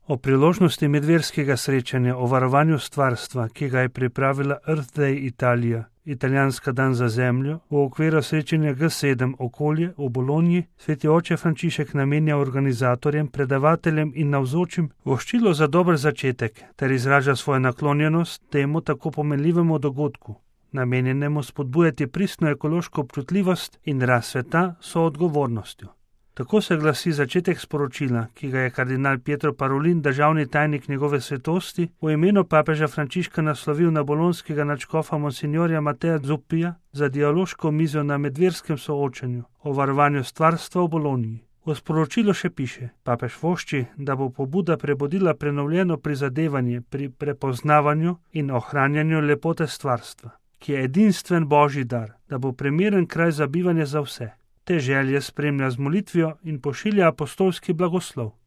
O priložnosti medverskega srečanja o varovanju stvarstva, ki ga je pripravila Earth Day Italija, italijanska dan za zemljo, v okviru srečanja G7 okolje v Bologni, sveti oče Frančišek namenja organizatorjem, predavateljem in navzočim voščilo za dober začetek ter izraža svojo naklonjenost temu tako pomenljivemu dogodku, namenjenemu spodbujati pristno ekološko občutljivost in rast sveta soodgovornostjo. Tako se glasi začetek sporočila, ki ga je kardinal Pietro Parolin, državni tajnik njegove svetosti, v imenu papeža Frančiška naslovil na bolonskega nadškofa monsignorja Mateja Zuppija za dialoško mizo na medverskem soočanju o varovanju stvarstva v Bologni. V sporočilu še piše: papež vošči, da bo pobuda prebudila prenovljeno prizadevanje pri prepoznavanju in ohranjanju lepote stvarstva, ki je edinstven božji dar, da bo primeren kraj za bivanje za vse. Te želje spremlja z molitvijo in pošilja apostolski blagoslov.